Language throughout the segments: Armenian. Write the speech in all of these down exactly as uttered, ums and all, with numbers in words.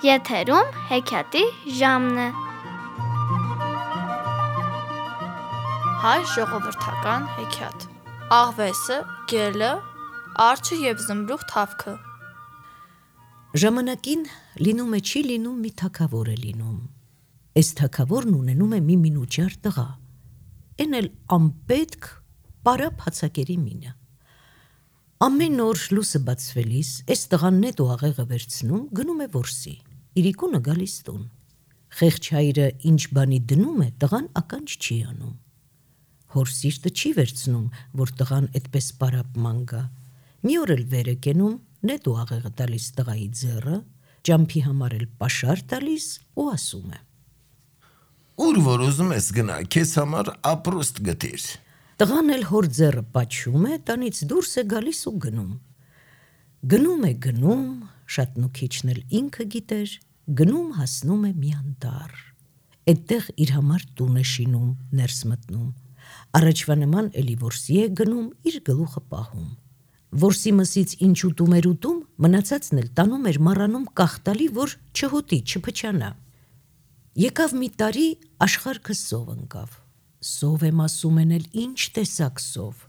Եթերում հեքիաթի ժամն է։ Հայ ժողովրդական հեքիաթ։ Աղվեսը, գելը, արջը և զմրուխ թավքը։ Ժամանակին լինում է չի լինում մի թագավոր է լինում։ Էս թագավորն ունենում է մի մինուճար տղա, էն էլ անպետք պարապ հացակերի մինը։ Ամեն օր լուսը բացվելիս էս տղան նետ ու աղեղը վերցնում, գնում է որսի, իրիկունը գալիս տուն։ Խեղճ հայրը ինչ բանի դնում է, տղան ականջ չի անում։ Հոր սիրտը չի վերցնում, որ տղան էդպես պարապ ման գա։ Մի օր էլ վեր է կենում, նետ ու աղեղը տալիս տղայի ձեռը, ճամփի համար էլ պաշար տալիս ու ասում է. Ուր որ ուզում ես գնա, քեզ համար ապրուստ գտիր։ Տղան էլ հոր ձեռը պաչում է, տանից դուրս է գալիս ու գնում։ Գնում է գնում, շատ նուքիչն էլ ինքը գիտեր, գնում հասնում է մի անտառ։ Էդտեղ իր համար տուն է շինում, ներս մտնում։ Առաջվա նման էլի որսի է գնում, իր գլուխը պահում։ Որսի մսից ինչ ուտում էր ուտում, մնացածն էլ տանում էր մառանում կախտալի, որ չհոտի, չփչանա։ Եկավ մի տարի, աշխարհքը սով ընկավ։ Սով եմ ասում են էլ ինչ տեսակ սով։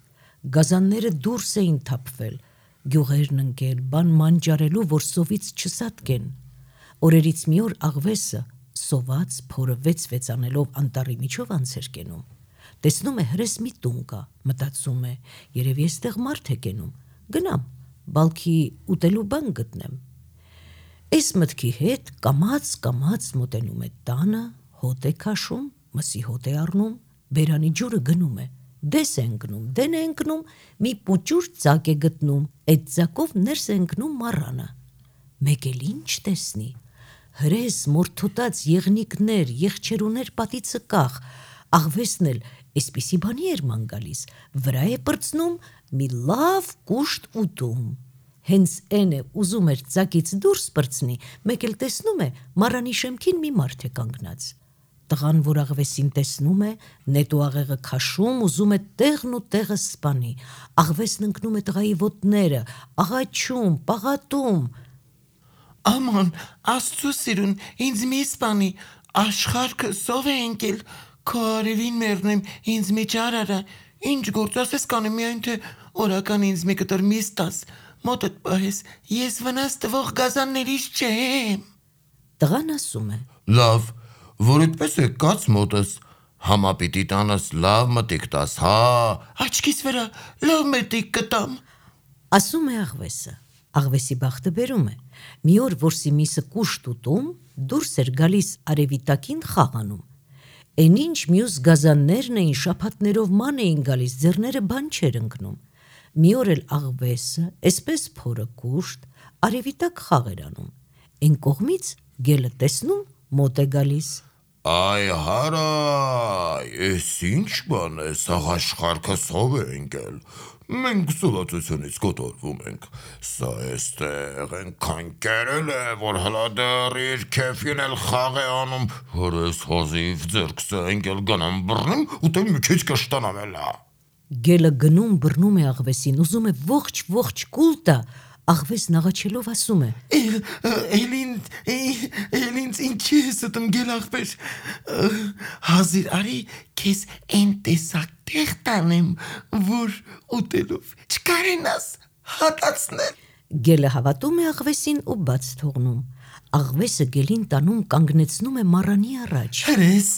Գազանները դուրս էին թափվել, գյուղերն ընկել, բան մանջարելու, որ սովից չսատկեն։ Օրերից մի օր աղվեսը, սոված, փորը վեց-վեց անելով անտառի միջով անց էր կենում։ Տեսնում է հրես մի տուն կա, մտածում է, երևի էստեղ մարդ է կենում, գնամ, բալքի ուտելու բան գտնեմ։ Էս մտքի հետ կամաց-կամաց մոտենում է տանը, հոտ է քաշում, մսի հոտ է առնում, բերանի ջուրը գնում է, դես է ընկնում, դեն է ընկնում, մի պուճուր ծակ է գտնում, այդ ծակով ներս է ընկնում մառանը։ Մեկ էլ ինչ տեսնի, հրես, մորթոտած եղնիկներ, եղջերուներ պատիցը կախ, աղվեսն էլ էսպիսի բանի էր ման գալիս, վրա է պրծնում մի լավ կուշտ ուտում։ Հենց էն է ուզում էր ծակից դուրս պրծնի, մեկ էլ տեսնում է մառանի շեմքին մի մարդ է կանգնած։ Տղան, որ աղվեսին տեսնում է, նետ ու աղեղը քաշում, ուզում է տեղն ու տեղը սպանի։ Աղվեսն ընկնում է տղայի ոտները, աղաչում, պաղատում։ Աման, Աստծո սիրուն, ինձ մի սպանի, աշխարհքը սով է ընկել, քո արևին մեռնեմ, ինձ մի ճար արա, ինչ գործ ասես կանեմ, միայն թե օրական ինձ մի կտոր միս տաս, մոտդ պահես, ես վնաս տվող գազաններից չեմ։ Տղան ասում է. Լավ, որ այդպես է կաց մոտս, համա պիտի տանաս լավ մտիկ տաս, հա, աչքիս վրա լավ մտիկ կտամ։ Ասում է աղվեսը։ Աղվեսի բախտը բերում է։ Մի օր որսի միսը կուշտ ուտում, դուրս էր գալիս արևի տակին խաղանում։ Էն ինչ մյուս գազաններն էին, շաբաթներով ման էին գալիս, ձեռները բան չէր ընկնում։ Մի օր էլ աղվեսը, էսպես փորը կուշտ, արևի տակ խաղ էր անում։ Էն կողմից գելը տեսնում, մոտ է գալիս։ Այ հարայ, ես ինչ բան է, սաղ աշխարհքը սով է ընկել, մենք սովածությունից կոտորվում ենք, սա էստեղ ենքան կերել է, որ հլա դեռ իր քեֆին էլ խաղ է անում, որ ես հազիվ ձերքս է ընկել գնամ բռնում, ուտեմ մի քիչ կշտանամ էլա։ Գելը գնում բռնում է աղվեսին, ուզում է ողջ-ողջ կուլ տա, աղվեսն աղաչելով ասում է. Էլ ինձ ինչի ես ուտում գել աղբեր, հազիր արի քեզ էն տեսակ տեղ տանեմ, որ ուտելով չկարենաս հատացնել։ Գելը հավատում է աղվեսին ու բաց թողնում։ Աղվեսը գելին տանում կանգնեցնում է մառանի առաջ։ Հրես,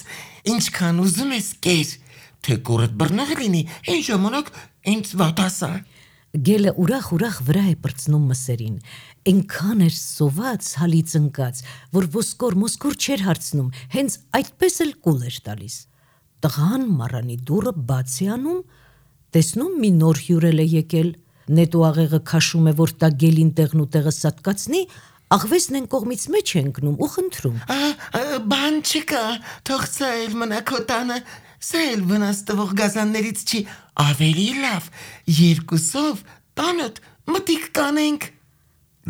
ինչքան ուզում ես կեր, թե կորդ բռնող լինի, այն ժամանակ ինձ վատասա։ Գելը ուրախ-ուրախ վրա է պրծնում մսերին, էնքան էր սոված, հալից ընկած, որ ոսկոր-մոսկոր չէր հարցնում, հենց այդպես էլ կուլ էր տալիս։ Տղան մառանի դուռը բաց է անում, տեսնում մի նոր հյուրել է եկել, նետ ու աղեղը քաշում է, որ տա գելին տեղն ու տեղը սատկացնի, աղվեսն են կողմից մեջ է ընկնում ու խնդրում. Բան չկա, թող սա էլ մնա քո տանը, սա էլ վնաս տվող գազաններից չի, ավելի լավ, երկուսով տանդ մտիկ կանենք։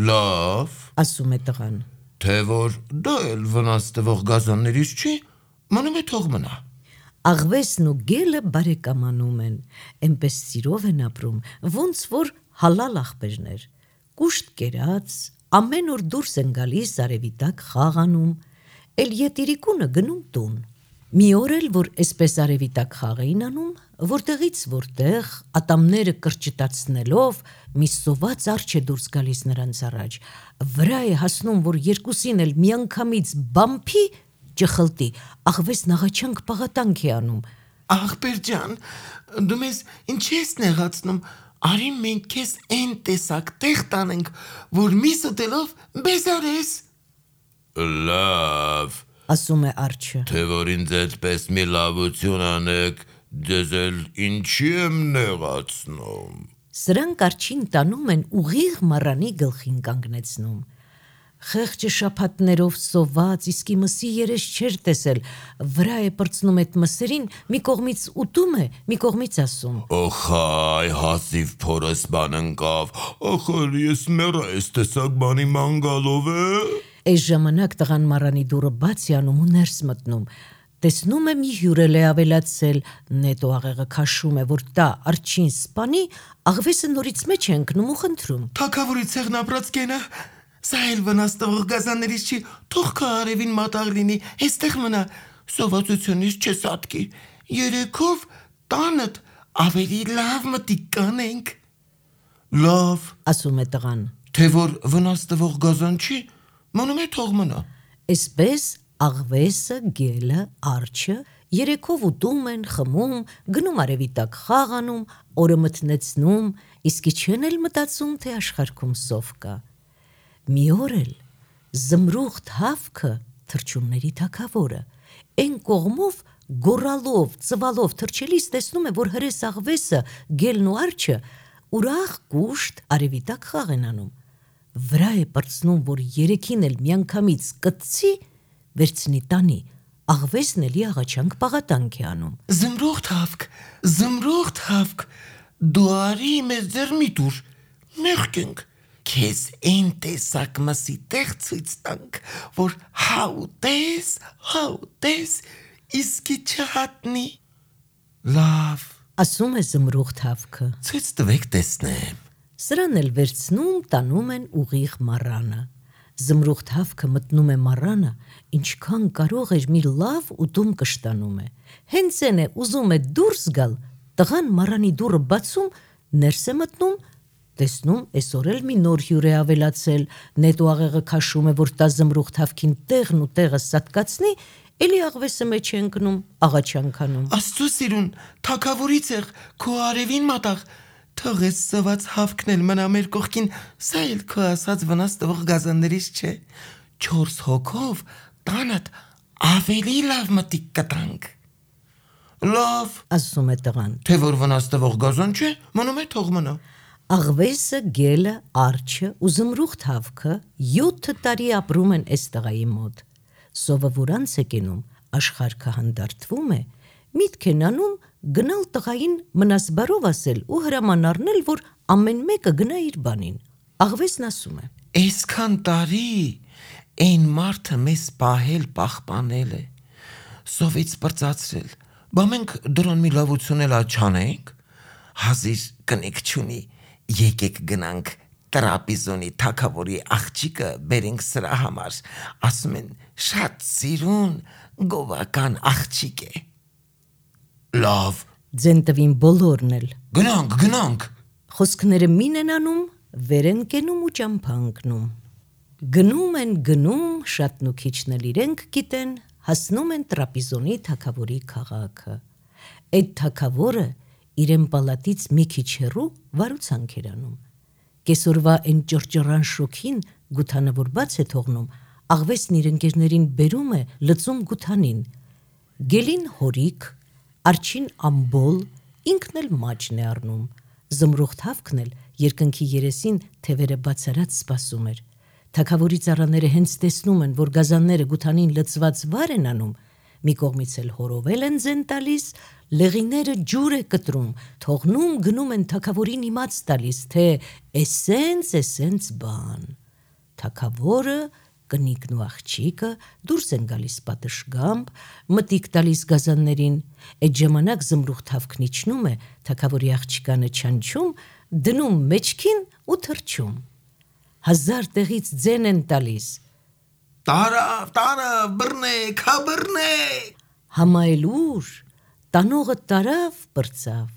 Լավ, ասում է տղան, թե որ դա էլ վնաս տվող գազաններից չի, մնում է թող մնա։ Աղվեսն ու գելը բարեկամանում են, էնպես սիրով են ապրում, ոնց որ հալալ աղբերներ, կուշտ կերած, ամեն օր դուրս են գալիս արևի տակ խաղանում, էլ ետիրիկունը գնում տուն։ Մի օր էլ, որ այսպես արևի տակ խաղ էին անում, որտեղից որտեղ ատամները կրճտացնելով մի սոված արջ է դուրս գալիս նրանց առաջ, վրա է հասնում, որ երկուսին էլ միանգամից բամփի ճխլտի, աղվես նաղաչանք պաղատանք է անում։ Աղբեր ջան, դու մեզ ինչ ես նեղացնում, արի մենք քեզ այն տեսակ տեղ տանենք, որ միս ուտելով բեզարես։ Լավ, ասում է արջը։ թե որ ինձ այդպես մի լավություն անեք, ձեզ էլ ինչի եմ նեղացնում։ Սրանք արջին տանում են ուղիղ մառանի գլխին կանգնեցնում։ Խեղճը շաբաթներով սոված, իսկի մսի երես չէր տեսել, վրա է պրծնում այդ մսերին, մի կողմից ուտում է, մի կողմից ասում. Օխայ, հասիվ փորս բան ընկավ, ախր ես մեռա ես տեսակ բանի մանգալով է։ Այս ժամանակ տղան մառանի դուռը բաց է անում ու ներս մտնում։ Տեսնում է մի հյուրել է ավելացել, նետո աղեղը քաշում է, որ տա արջին սպանի, աղվեսը նորից մեջ է ընկնում ու խնդրում. Թագավորի ցեղն ապրած կենա, սա էլ վնաստող գազաններից չի, թող քո արևին մատաղ լինի, այստեղ մնա, սովածությունից չես ատկի, երեքով տանդ ավելի լավ մտիկ կանենք։ Լավ, ասում է տղան։ թե որ վնաստող գազան չի, մնում է թող մնա։ Այսպես աղվեսը, գելը, արջը երեքով ուտում են, խմում, գնում արևի տակ խաղ անում, օրը մթնեցնում, իսկի չեն էլ մտածում, թե աշխարհքում սով կա։ Մի օր էլ զմրուխտ հավքը թռչունների թագավորը այն կողմով գոռալով, ծվալով թռչելիս տեսնում է, որ հրես աղվեսը, գելն ու արջը ուրախ կուշտ արևի տակ խաղ են անում։ Վրա է պրծնում, որ երեքին էլ միանգամից կծի, վերցնի տանի, աղվեսն էլի աղաչանք պաղատանք է անում։ Զմրուխտ հավք, զմրուխտ հավք, դու արի մեզ ձեր մի տուր, մեղքենք, քեզ այն տեսակ մսի տեղ ցույց տանք, որ հաուտես, հաուտես, իսկի չհատնի։ Լավ, ասում է զմրուխտ հավքը։ ցույց տվեք տեսնեմ։ Սրան էլ վերցնում, տանում են ուղիղ մառանը։ Զմրուխտ հավքը մտնում է մառանը, ինչքան կարող էր մի լավ ուտում կշտանում է։ Հենց այն է ուզում է դուրս գալ, տղան մառանի դուռը բացում, ներս է մտնում, տեսնում, այսօր էլ մի նոր հյուր է ավելացել, նետո աղեղը քաշում է, որ տա զմրուխտ հավքին տեղն ու տեղը սատկացնի, էլի աղվեսը մեջ է ընկնում, աղաչանքանում։ Աստծո սիրուն, թագավորի ցեղ, քո արևին մատաղ, թող էս սոված հավքն էլ մնա մեր կողքին, սա էլ քո ասած վնաստող գազաններից չէ, չորս հոգով տանդ ավելի լավ մտիկ կտանք։ Լավ, ասում է տղան։ թե որ վնաստող գազան չէ, մնում է թող մնա։ Աղվեսը, գելը, արջը ու զմրուխտ հավքը յոթ տարի ապրում են այս տղայի մոտ։ Սովը որ անց է կենում, աշխարհքը հանդարտվում է, միտք են անում գնալ տղային մնասբարով ասել ու հրաման առնել, որ ամեն մեկը գնա իր բանին։ Աղվեսն ասում է. Այսքան տարի այն մարդը մեզ պահել, պահպանել է, սովից պրծացրել, բա մենք դրան մի լավություն էլ չանենք, հազիր կնիկ չունի, եկեք գնանք տրապիզոնի թագավորի աղջիկը բերենք սրա համար, ասում են շատ սիրուն գովական աղջիկ է։ Լավ, ձեն տվին բոլորն էլ։ գնանք, գնանք։ Խոսքները մին են անում, վեր են կենում ու ճամփա ընկնում։ Գնում են, գնում, շատ նուքիչն էլ իրենք գիտեն, հասնում են տրապիզոնի թագավորի քաղաքը։ Այդ թագավորը իրեն պալատից մի քիչ հեռու վարուցանք էր անում։ Կեսօրվա այն ճռճռան շոքին գութանը որ բաց է թողնում, աղվեսն իր ընկերներին բերում է լծում գութանին։ Գելին հորիկ, արջին ամբոլ, ինքն էլ մաճն է առնում։ Զմրուխտ հավքն էլ երկնքի երեսին թևերը բացարած սպասում էր։ Թագավորի ծառաները հենց տեսնում են, որ գազանները գութանին լծված վար են անում, մի կողմից էլ հորովել են ձեն տալիս, լեղիները ջուր է կտրում, թողնում գնում են թագավորին իմաց տալիս, թե էսենց, էսենց բան։ Թագավորը, կնիկն ու աղջիկը դուրս են գալիս պատշգամբ, մտիկ տալիս գազաններին, այդ ժամանակ զմրուխտ հավքն իջնում է, թագավորի աղջիկանը չանչում, դնում մեջքին ու թռչում։ Հազար տեղից ձեն են տալիս։ Տարավ, տարավ, բռնեք, հա բռնեք։ Համայել ուր, տանողը տարավ, բրծավ։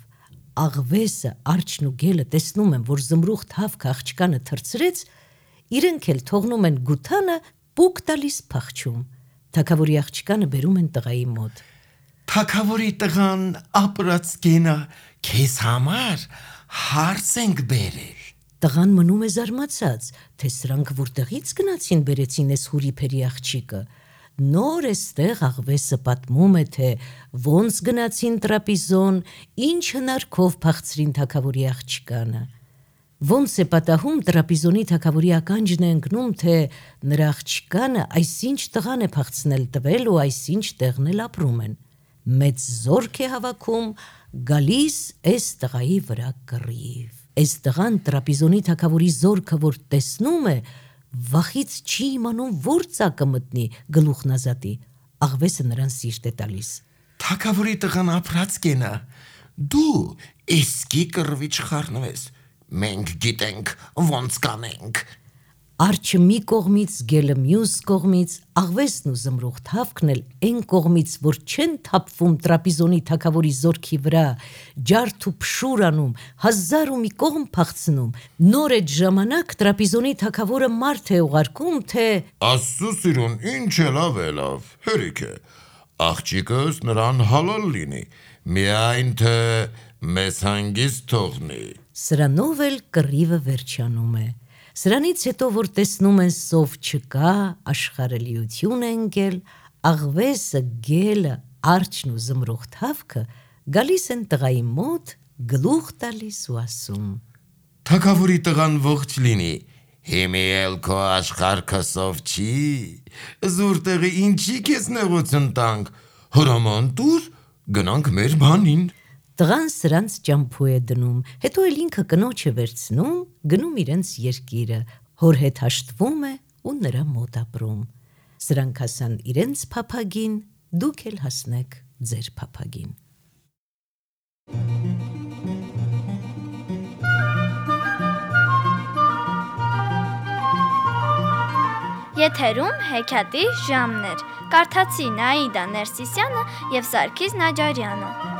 Աղվեսը, արջն ու գելը տեսնում են, որ զմրուխտ հավքը աղջկանը թրծրեց, իրենք էլ թողնում են գութանը, պուկ տալիս փախչում։ Թագավորի աղջկանը բերում են տղայի մոտ։ Թագավորի տղան ապրած գենա, քեզ համար հարց ենք բերել։ Տղան մնում է զարմացած, թե սրանք որտեղից գնացին բերեցին էս հուրիփերի աղջիկը։ Նոր էստեղ աղվեսը պատմում է, թե ոնց գնացին տրապիզոն, ինչ հնարքով փախցրին թագավորի աղջկանը։ Ոնց է պատահում տրապիզոնի թագավորի ականջն է ընկնում, թե նրա աղջկանը այսինչ տղան է փախցնել տվել ու այսինչ տեղն էլ ապրում են։ Մեծ զորք է հավաքում, գալիս էս տղայի վրա կռիվ։ Էս տղան տրապիզոնի թագավորի զորքը որ տեսնում է, վախից չի իմանում որ ծակը մտնի գլուխն ազատի։ Աղվեսը նրան սիրտ է տալիս։ Թագավորի տղան ապրած գենա, դու իսկի կռվի չխառնվես, մենք գիտենք ոնց կանենք։ Արջը մի կողմից, գելը մյուս կողմից, աղվեսն ու զմրուխտ հավքն էլ այն կողմից, որ չեն թափվում տրապիզոնի թագավորի զորքի վրա, ջարդ ու փշուր անում, հազար ու մի կողմ փախցնում։ Նոր այդ ժամանակ տրապիզոնի թագավորը մարդ է ուղարկում, թե Աստծո սիրուն, ինչ է լավ է լավ, հերիք է, աղջիկս նրան հալալ լինի, միայն թե մեզ հանգիստ թողնի։ Սրանով էլ կռիվը վերջանում է։ Սրանից հետո, որ տեսնում են սով չկա, աշխարհելիություն է ընկել, աղվեսը, գելը, արջն ու զմրուխտ հավքը գալիս են տղայի մոտ, գլուխ տալիս ու ասում. Թագավորի տղան ողջ լինի, հիմի էլ քո աշխարհքը սով չի, զուր տեղի ինչի քեզ նեղություն տանք, հրաման տուր, գնանք մեր բանին։ Տղան սրանց ճամփու է դնում, հետո էլ ինքը կնոջը վերցնում, գնում իրենց երկիրը, հոր հետ հաշտվում է ու նրա մոտ ապրում։ Սրանք հասան իրենց փափագին, դուք էլ հասնեք ձեր փափագին։ Եթերում հեքիաթի ժամն էր։ Կարդացի Նաիդա Ներսիսյանը և Սարգիս Նաջարյանը։